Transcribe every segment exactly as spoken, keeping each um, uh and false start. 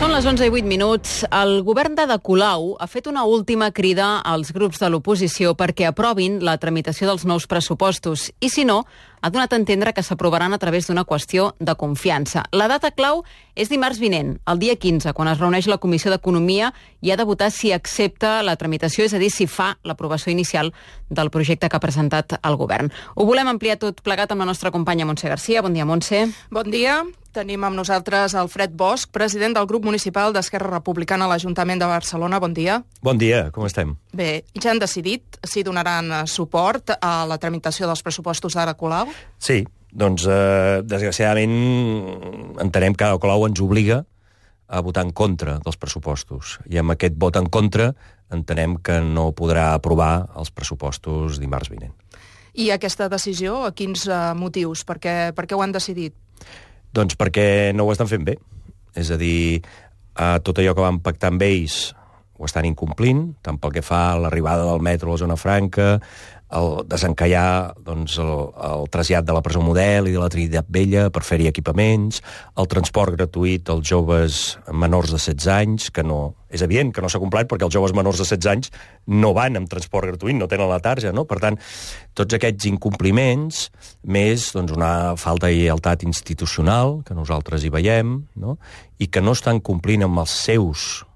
Són les onze i vuit minuts. El govern d'Ada Colau ha fet una última crida als grups de l'oposició perquè aprovin la tramitació dels nous pressupostos i, si no, ha donat a entendre que s'aprovaran a través d'una qüestió de confiança. La data clau és dimarts vinent, el dia quinze, quan es reuneix la Comissió d'Economia i ha de votar si accepta la tramitació, és a dir, si fa l'aprovació inicial del projecte que ha presentat el govern. Ho volem ampliar tot plegat amb la nostra companya Montse Garcia. Bon dia, Montse. Bon dia. Tenim amb nosaltres Alfred Bosch, president del grup municipal d'Esquerra Republicana a l'Ajuntament de Barcelona. Bon dia. Bon dia, com estem? Bé, ja han decidit si donaran suport a la tramitació dels pressupostos d'Ada Colau? Sí, doncs, eh, desgraciadament, entenem que Ada Colau ens obliga a votar en contra dels pressupostos. I amb aquest vot en contra entenem que no podrà aprovar els pressupostos dimarts vinent. I aquesta decisió, a quins uh, motius? Per què, per què ho han decidit? Doncs perquè no ho estan fent bé. És a dir, eh, tot allò que van pactar amb ells ho estan incomplint, tant pel que fa a l'arribada del metro a la zona franca, el desencallar doncs, el, el trasllat de la presó Model i de la Trinitat Vella per fer-hi equipaments, el transport gratuït als joves menors de setze anys, que no... És evident que no s'ha complert perquè els joves menors de setze anys no van amb transport gratuït, no tenen la tarja, no? Per tant, tots aquests incompliments, més doncs, una falta de lleialtat institucional, que nosaltres hi veiem, no? I que no estan complint amb els seus...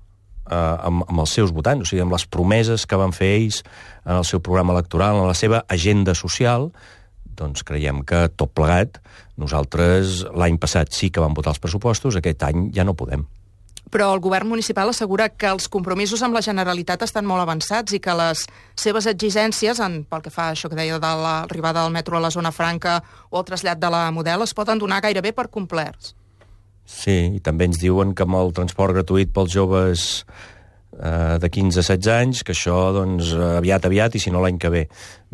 Uh, amb, amb els seus votants, o sigui, amb les promeses que van fer ells en el seu programa electoral, en la seva agenda social, doncs creiem que tot plegat, nosaltres l'any passat sí que vam votar els pressupostos, aquest any ja no podem. Però el govern municipal assegura que els compromisos amb la Generalitat estan molt avançats i que les seves exigències, en, pel que fa a això que deia de l'arribada del metro a la zona franca o el trasllat de la Model, es poden donar gairebé per complerts. Sí, i també ens diuen que amb el transport gratuït pels joves eh, de quinze a setze anys, que això, doncs, aviat, aviat, i si no l'any que ve.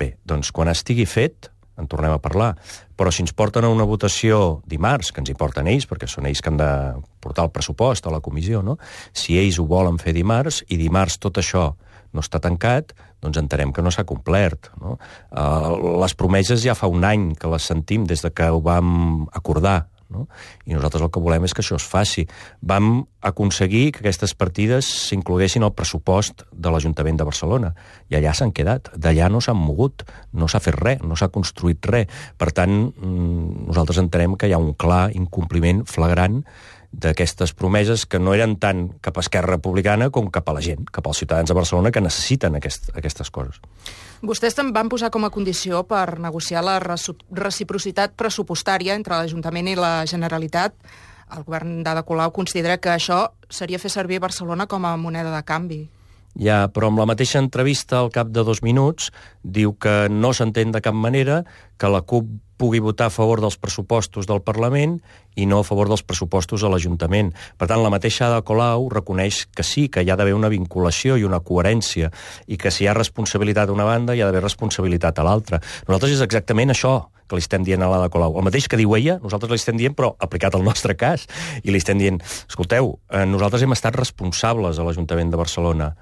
Bé, doncs, quan estigui fet, en tornem a parlar. Però si ens porten a una votació dimarts, que ens hi porten ells, perquè són ells que han de portar el pressupost a la comissió, no? Si ells ho volen fer dimarts, i dimarts tot això no està tancat, doncs entenem que no s'ha complert, no? Uh, les promeses ja fa un any que les sentim des de que ho vam acordar, no? I nosaltres el que volem és que això es faci. Vam aconseguir que aquestes partides s'incloguessin al pressupost de l'Ajuntament de Barcelona, i allà s'han quedat. D'allà no s'han mogut, no s'ha fet res, no s'ha construït res. Per tant, nosaltres entenem que hi ha un clar incompliment flagrant d'aquestes promeses que no eren tant cap a Esquerra Republicana com cap a la gent, cap als ciutadans de Barcelona que necessiten aquest, aquestes coses. Vostès també van posar com a condició per negociar la reciprocitat pressupostària entre l'Ajuntament i la Generalitat. El govern d'Ada Colau considera que això seria fer servir Barcelona com a moneda de canvi. Ja, però amb la mateixa entrevista al cap de dos minuts diu que no s'entén de cap manera que la CUP pugui votar a favor dels pressupostos del Parlament i no a favor dels pressupostos a l'Ajuntament. Per tant, la mateixa Ada Colau reconeix que sí, que hi ha d'haver una vinculació i una coherència, i que si hi ha responsabilitat a una banda, hi ha d'haver responsabilitat a l'altra. Nosaltres és exactament això que li estem dient a l'Ada Colau. El mateix que diu ella, nosaltres li estem dient, però aplicat al nostre cas. I li estem dient, escolteu, eh, nosaltres hem estat responsables a l'Ajuntament de Barcelona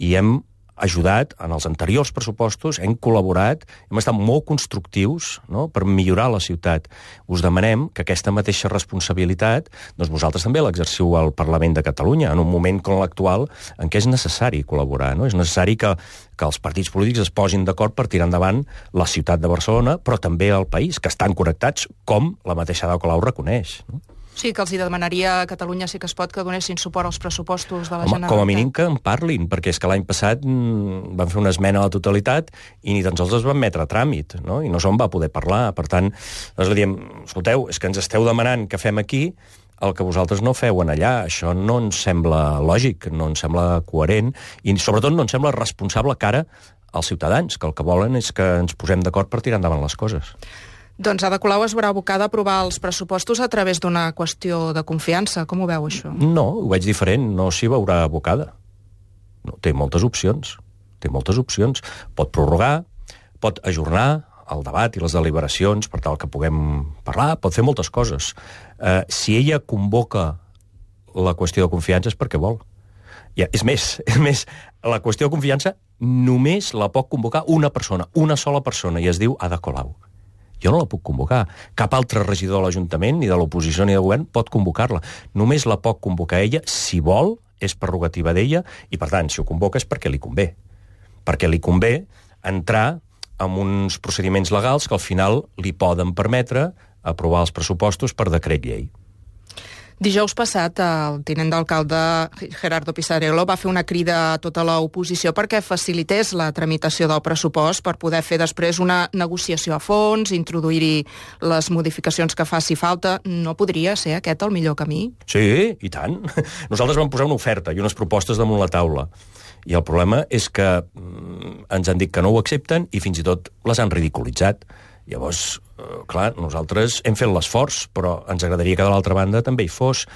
i hem ajudat en els anteriors pressupostos, hem col·laborat, hem estat molt constructius, no?, per millorar la ciutat. Us demanem que aquesta mateixa responsabilitat doncs vosaltres també l'exerciu al Parlament de Catalunya, en un moment com l'actual en què és necessari col·laborar, no? És necessari que, que els partits polítics es posin d'acord per tirar endavant la ciutat de Barcelona, però també el país, que estan connectats, com la mateixa Ada Colau reconeix, no? Sí, que els hi demanaria a Catalunya Sí que es pot que donessin suport als pressupostos de la Home, Generalitat. Com a mínim que en parlin, perquè és que l'any passat mm, van fer una esmena a la totalitat i ni tan sols es van metre a tràmit, no? I no se'n va poder parlar. Per tant, nosaltres diem, escolteu, és que ens esteu demanant que fem aquí el que vosaltres no feu en allà. Això no ens sembla lògic, no ens sembla coherent i sobretot no ens sembla responsable cara als ciutadans, que el que volen és que ens posem d'acord per tirar endavant les coses. Doncs Ada Colau es veurà abocada a aprovar els pressupostos a través d'una qüestió de confiança. Com ho veu, això? No, ho veig diferent. No s'hi veurà abocada. No, té moltes opcions. Té moltes opcions. Pot prorrogar, pot ajornar el debat i les deliberacions per tal que puguem parlar, pot fer moltes coses. Eh, si ella convoca la qüestió de confiança és perquè vol. Ja, és més, és més, la qüestió de confiança només la pot convocar una persona, una sola persona, i es diu Ada Colau. Jo no la puc convocar. Cap altre regidor de l'Ajuntament, ni de l'oposició ni del govern, pot convocar-la. Només la pot convocar ella si vol, és prerrogativa d'ella, i per tant, si ho convoca és perquè li convé. Perquè li convé entrar en uns procediments legals que al final li poden permetre aprovar els pressupostos per decret llei. Dijous passat, el tinent d'alcalde Gerardo Pisarello va fer una crida a tota l'oposició perquè facilités la tramitació del pressupost per poder fer després una negociació a fons, introduir-hi les modificacions que faci falta. No podria ser aquest el millor camí? Sí, i tant. Nosaltres vam posar una oferta i unes propostes damunt la taula. I el problema és que mm, ens han dit que no ho accepten i fins i tot les han ridiculitzat. Llavors, eh, clar, nosaltres hem fet l'esforç, però ens agradaria que de l'altra banda també hi fos.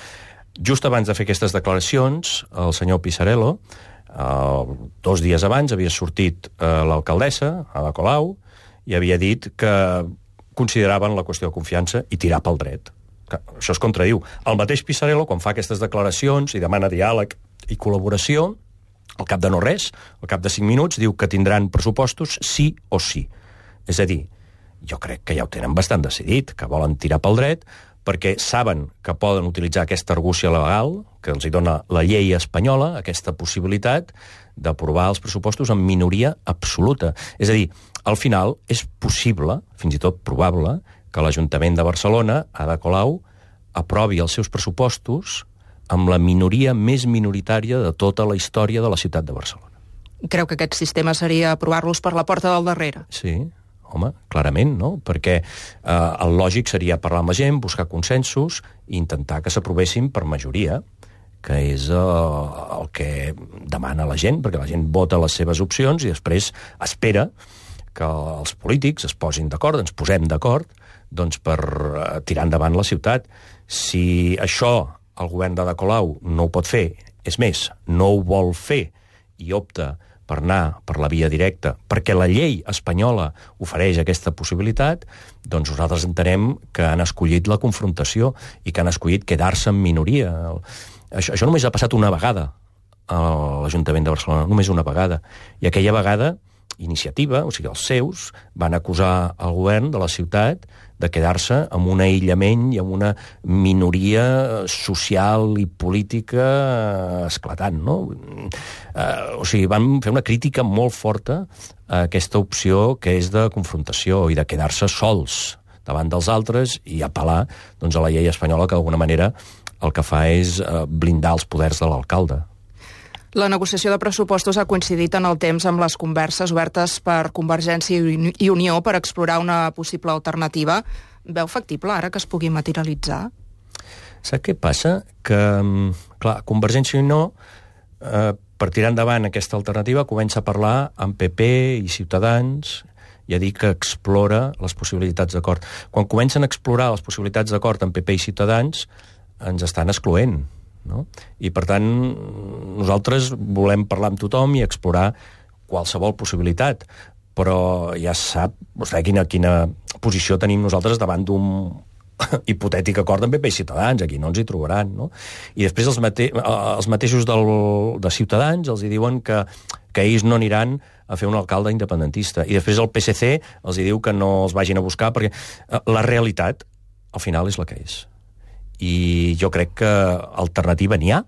Just abans de fer aquestes declaracions, el senyor Pisarello, eh, dos dies abans havia sortit eh, l'alcaldessa, Ada Colau, i havia dit que consideraven la qüestió de confiança i tirar pel dret. Que això es contradiu. El mateix Pisarello, quan fa aquestes declaracions i demana diàleg i col·laboració, al cap de no res, al cap de cinc minuts, diu que tindran pressupostos sí o sí. És a dir, jo crec que ja ho tenen bastant decidit, que volen tirar pel dret, perquè saben que poden utilitzar aquesta argúcia legal que els hi dona la llei espanyola, aquesta possibilitat d'aprovar els pressupostos amb minoria absoluta. És a dir, al final és possible, fins i tot probable, que l'Ajuntament de Barcelona, Ada Colau, aprovi els seus pressupostos amb la minoria més minoritària de tota la història de la ciutat de Barcelona. Creu que aquest sistema seria aprovar-los per la porta del darrere? Sí, home, clarament, no? Perquè eh, el lògic seria parlar amb la gent, buscar consensos i intentar que s'aprovessin per majoria, que és eh, el que demana la gent, perquè la gent vota les seves opcions i després espera que els polítics es posin d'acord, ens posem d'acord, doncs per eh, tirar endavant la ciutat. Si això el govern d'Ada Colau no ho pot fer, és més, no ho vol fer i opta per anar per la via directa, perquè la llei espanyola ofereix aquesta possibilitat, doncs nosaltres entenem que han escollit la confrontació i que han escollit quedar-se en minoria. Això, això només ha passat una vegada a l'Ajuntament de Barcelona, només una vegada. I aquella vegada, Iniciativa, o sigui, els seus, van acusar el govern de la ciutat de quedar-se amb un aïllament i amb una minoria social i política esclatant, no? Eh, o sigui, van fer una crítica molt forta a aquesta opció que és de confrontació i de quedar-se sols davant dels altres i apel·lar doncs, a la llei espanyola que d'alguna manera el que fa és eh, blindar els poders de l'alcalde. La negociació de pressupostos ha coincidit en el temps amb les converses obertes per Convergència i Unió per explorar una possible alternativa. Veu factible ara que es pugui materialitzar? Sap què passa? Que, clar, Convergència i Unió, eh, per tirar endavant aquesta alternativa, comença a parlar amb P P i Ciutadans i a dir que explora les possibilitats d'acord. Quan comencen a explorar les possibilitats d'acord amb P P i Ciutadans, ens estan excloent. No? I per tant nosaltres volem parlar amb tothom i explorar qualsevol possibilitat, però ja sap vostè quina, quina posició tenim nosaltres davant d'un hipotètic acord amb P P i Ciutadans. Aquí no ens hi trobaran, no? I després els, mate els mateixos del, de Ciutadans els hi diuen que, que ells no aniran a fer un alcalde independentista, i després el P S C els hi diu que no els vagin a buscar perquè la realitat al final és la que és. I jo crec que alternativa n'hi ha,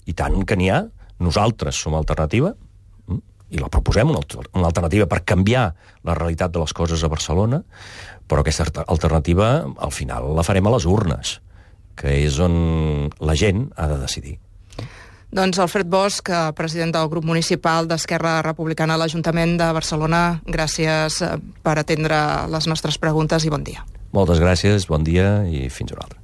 i tant que n'hi ha. Nosaltres som alternativa, i la proposem, una, una alternativa per canviar la realitat de les coses a Barcelona, però aquesta alternativa al final la farem a les urnes, que és on la gent ha de decidir. Doncs Alfred Bosch, president del grup municipal d'Esquerra Republicana a l'Ajuntament de Barcelona, gràcies per atendre les nostres preguntes i bon dia. Moltes gràcies, bon dia i fins una altra.